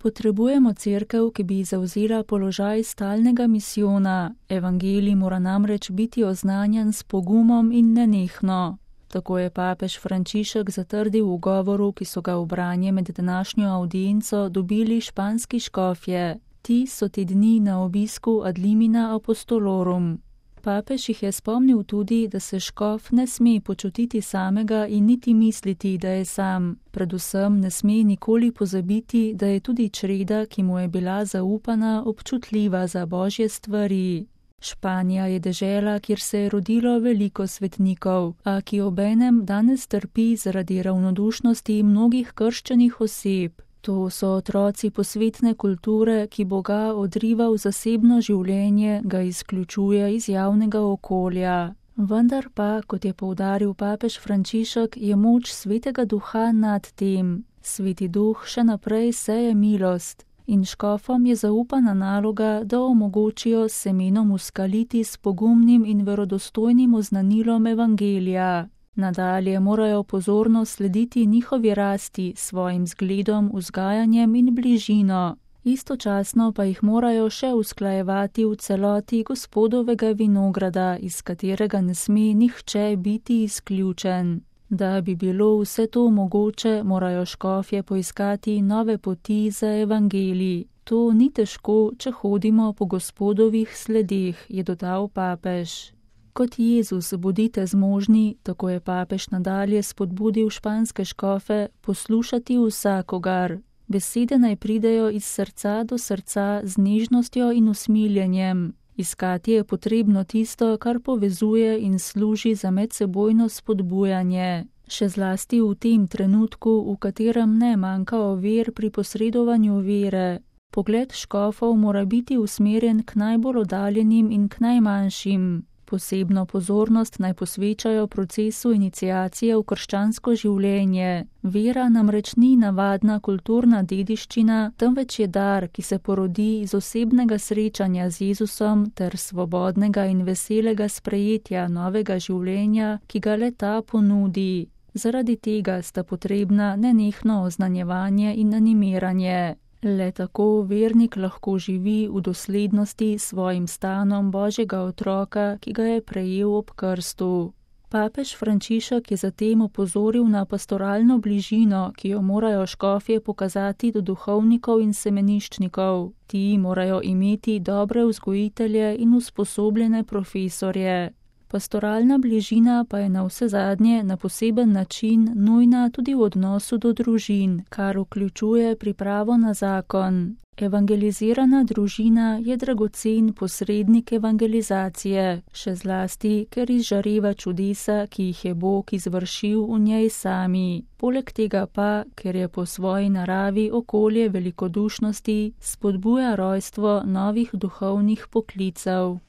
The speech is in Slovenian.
Potrebujemo cerkev, ki bi zavzela položaj stalnega misijona. Evangelij mora namreč biti oznanjan s pogumom in nenehno. Tako je papež Frančišek zatrdil v govoru, ki so ga v branje med današnjo avdienco dobili španski škofje. Ti so te dni na obisku ad limina apostolorum. Papež jih je spomnil tudi, da se škof ne sme počutiti samega in niti misliti, da je sam. Predvsem ne sme nikoli pozabiti, da je tudi čreda, ki mu je bila zaupana, občutljiva za božje stvari. Španija je dežela, kjer se je rodilo veliko svetnikov, a ki obenem danes trpi zaradi ravnodušnosti mnogih krščenih oseb. To so otroci posvetne kulture, ki Boga odriva v zasebno življenje, ga izključuje iz javnega okolja. Vendar pa, kot je poudaril papež Frančišek, je moč svetega duha nad tem. Sveti duh še naprej seje milost in škofom je zaupana naloga, da omogočijo semenom uskaliti s pogumnim in verodostojnim oznanilom evangelija. Nadalje morajo pozorno slediti njihovi rasti, svojim zgledom, vzgajanjem in bližino. Istočasno pa jih morajo še usklajevati v celoti Gospodovega vinograda, iz katerega ne sme nihče biti izključen. Da bi bilo vse to mogoče, morajo škofje poiskati nove poti za evangelij. To ni težko, če hodimo po Gospodovih sledeh, je dodal papež. Kot Jezus bodite zmožni, tako je papež nadalje spodbudil španske škofe, poslušati vsakogar. Besede naj pridejo iz srca do srca z nežnostjo in usmiljenjem. Iskati je potrebno tisto, kar povezuje in služi za medsebojno spodbujanje. Še zlasti v tem trenutku, v katerem ne manjka ovir pri posredovanju vere. Pogled škofov mora biti usmerjen k najbolj oddaljenim in k najmanjšim. Posebno pozornost naj posvečajo procesu iniciacije v krščansko življenje. Vera namreč ni navadna kulturna dediščina, temveč je dar, ki se porodi iz osebnega srečanja z Jezusom ter svobodnega in veselega sprejetja novega življenja, ki ga le-ta ponudi. Zaradi tega sta potrebna nenehno oznanjevanje in animiranje. Le tako vernik lahko živi v doslednosti s svojim stanom Božjega otroka, ki ga je prejel ob krstu. Papež Frančišek je zatem opozoril na pastoralno bližino, ki jo morajo škofje pokazati do duhovnikov in semeniščnikov. Ti morajo imeti dobre vzgojitelje in usposobljene profesorje. Pastoralna bližina pa je navsezadnje na poseben način nujna tudi v odnosu do družin, kar vključuje pripravo na zakon. Evangelizirana družina je dragocen posrednik evangelizacije, še zlasti, ker izžareva čudesa, ki jih je Bog izvršil v njej sami. Poleg tega pa, ker je po svoji naravi okolje velikodušnosti, spodbuja rojstvo novih duhovnih poklicev.